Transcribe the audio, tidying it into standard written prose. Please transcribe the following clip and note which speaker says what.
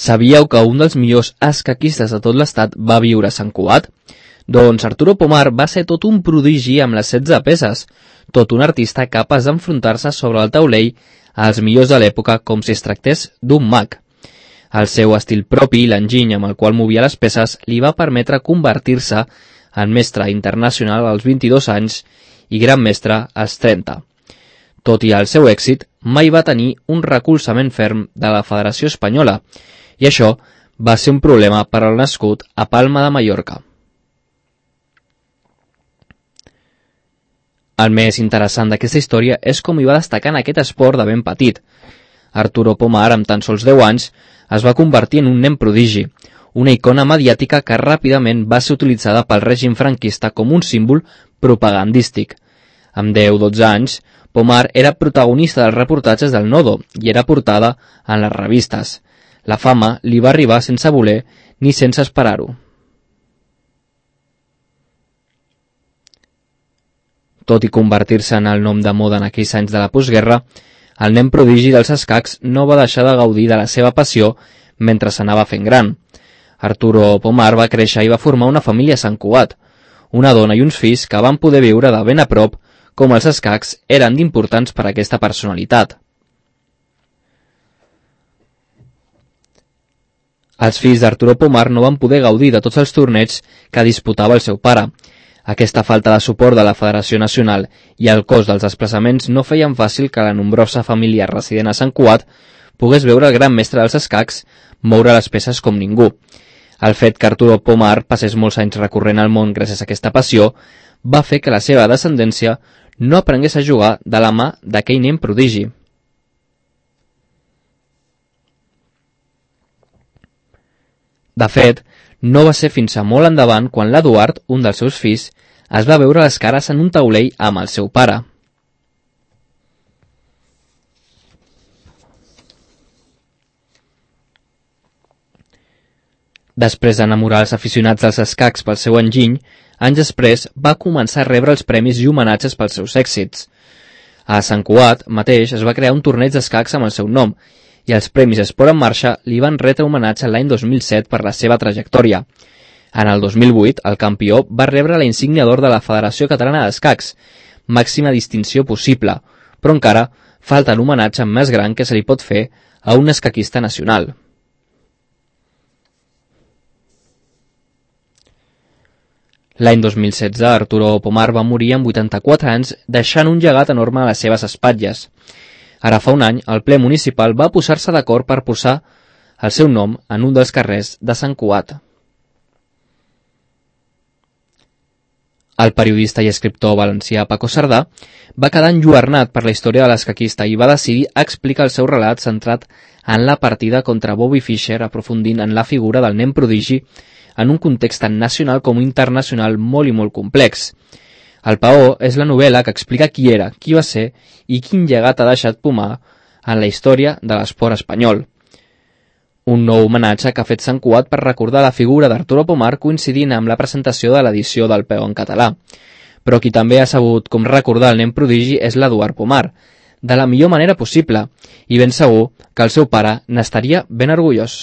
Speaker 1: Sabíeu que un dels millors escaquistes de tot l'estat va viure a Sant Cugat? Doncs Arturo Pomar va ser tot un prodigi amb les 16 peces, tot un artista capaç d'enfrontar-se sobre el taulell als millors de l'època com si es tractés d'un mag. El seu estil propi i l'enginy amb el qual movia les peces li va permetre convertir-se en mestre internacional als 22 anys i gran mestre als 30. Tot i el seu èxit, mai va tenir un recolzament ferm de la Federació Espanyola, i això va ser un problema per al nascut a Palma de Mallorca. El més interessant d'aquesta història és com hi va destacar en aquest esport de ben petit. Arturo Pomar, amb tan sols 10 anys, es va convertir en un nen prodigi, una icona mediàtica que ràpidament va ser utilitzada pel règim franquista com un símbol propagandístic. Amb 10-12 anys, Pomar era protagonista dels reportatges del Nodo i era portada en les revistes. La fama li va arribar sense voler ni sense esperar-ho. Tot i convertir-se en el nom de moda en aquells anys de la postguerra, el nen prodigi dels escacs no va deixar de gaudir de la seva passió mentre s'anava fent gran. Arturo Pomar va créixer i va formar una família a Sant Cugat, una dona i uns fills que van poder viure de ben a prop com els escacs eren d'importants per a aquesta personalitat. Els fills d'Arturo Pomar no van poder gaudir de tots els torneigs que disputava el seu pare. Aquesta falta de suport de la Federació Nacional i el cost dels desplaçaments no feien fàcil que la nombrosa família resident a Sant Cugat pogués veure el gran mestre dels escacs moure les peces com ningú. El fet que Arturo Pomar passés molts anys recorrent al món gràcies a aquesta passió va fer que la seva descendència no aprengués a jugar de la mà d'aquell nen prodigi. De fet, no va ser fins a molt endavant quan l'Eduard, un dels seus fills, es va veure les cares en un taulell amb el seu pare. Després d'enamorar els aficionats dels escacs pel seu enginy, anys després va començar a rebre els premis i homenatges pels seus èxits. A Sant Cugat mateix es va crear un torneig d'escacs amb el seu nom, i els Premis Esport en Marxa li van retre homenatge l'any 2007 per la seva trajectòria. En el 2008, el campió va rebre la insígnia d'or de la Federació Catalana d'Escacs, màxima distinció possible, però encara falta l'homenatge més gran que se li pot fer a un escaquista nacional. L'any 2016, Arturo Pomar va morir amb 84 anys, deixant un llegat enorme a les seves espatlles. Ara fa un any, el ple municipal va posar-se d'acord per posar el seu nom en un dels carrers de Sant Cugat. El periodista i escriptor valencià Paco Cerdà va quedar enlluernat per la història de l'escaquista i va decidir explicar el seu relat centrat en la partida contra Bobby Fischer, aprofundint en la figura del nen prodigi en un context tant nacional com internacional molt i molt complex. El Paó és la novel·la que explica qui era, qui va ser i quin llegat ha deixat Pomar en la història de l'esport espanyol. Un nou homenatge que ha fet Sant Cugat per recordar la figura d'Arturo Pomar coincidint amb la presentació de l'edició del Paó en català. Però qui també ha sabut com recordar el nen prodigi és l'Eduard Pomar, de la millor manera possible, i ben segur que el seu pare n'estaria ben orgullós.